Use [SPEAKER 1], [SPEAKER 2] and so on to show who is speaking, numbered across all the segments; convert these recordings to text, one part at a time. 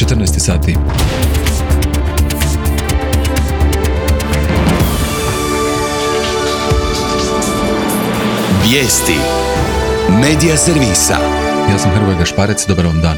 [SPEAKER 1] 14 sati.
[SPEAKER 2] Vijesti Medija servisa.
[SPEAKER 1] Ja sam Hrvoje Gašparec, dobar vam dan.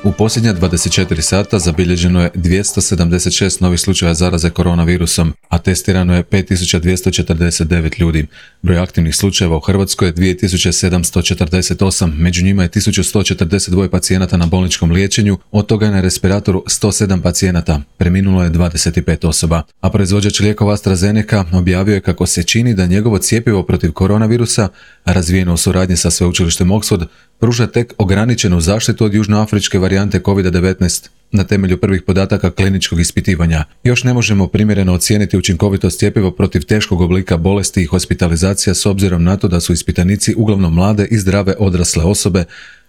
[SPEAKER 1] U posljednja 24 sata zabilježeno je 276 novih slučaja zaraze koronavirusom, a testirano je 5249 ljudi. Broj aktivnih slučajeva u Hrvatskoj je 2748, među njima je 1142 pacijenata na bolničkom liječenju, od toga je na respiratoru 107 pacijenata, preminulo je 25 osoba. A proizvođač lijekova AstraZeneca objavio je kako se čini da njegovo cjepivo protiv koronavirusa, razvijeno u suradnji sa sveučilištem Oxford, pruža tek ograničenu zaštitu od južnoafričke varijante COVID-19 na temelju prvih podataka kliničkog ispitivanja. Još ne možemo primjereno ocijeniti učinkovitost cjepiva protiv teškog oblika bolesti i hospitalizacija s obzirom na to da su ispitanici uglavnom mlade i zdrave odrasle osobe,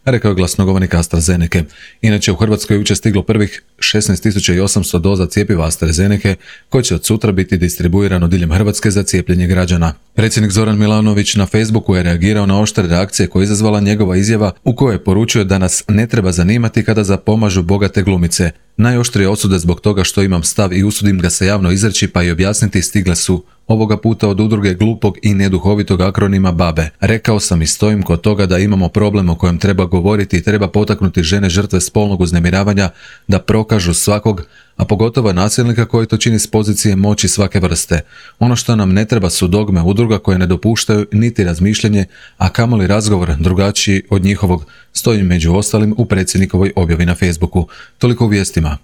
[SPEAKER 1] rekao je glasnogovornik AstraZeneca. Inače, u Hrvatskoj je jučer stiglo prvih 16.800 doza cjepiva AstraZeneca, koje će od sutra biti distribuirano diljem Hrvatske za cijepljenje građana. Predsjednik Zoran Milanović na Facebooku je reagirao na oštre reakcije koje je izazvala njegova izjava u kojoj je poručio da nas ne treba zanimati kada zapomažu bogate glumice. Najoštrije osude zbog toga što imam stav i usudim ga se javno izreći pa i objasniti stigle su ovoga puta od udruge glupog i neduhovitog akronima BABE. Rekao sam i stojim kod toga da imamo problem o kojem treba govoriti i treba potaknuti žene žrtve spolnog uznemiravanja da prokažu svakog, a pogotovo nasilnika koji to čini s pozicije moći svake vrste. Ono što nam ne treba su dogme udruga koje ne dopuštaju niti razmišljanje, a kamoli razgovor drugačiji od njihovog, stoji među ostalim u predsjednikovoj objavi na Facebooku. Toliko u vijestima.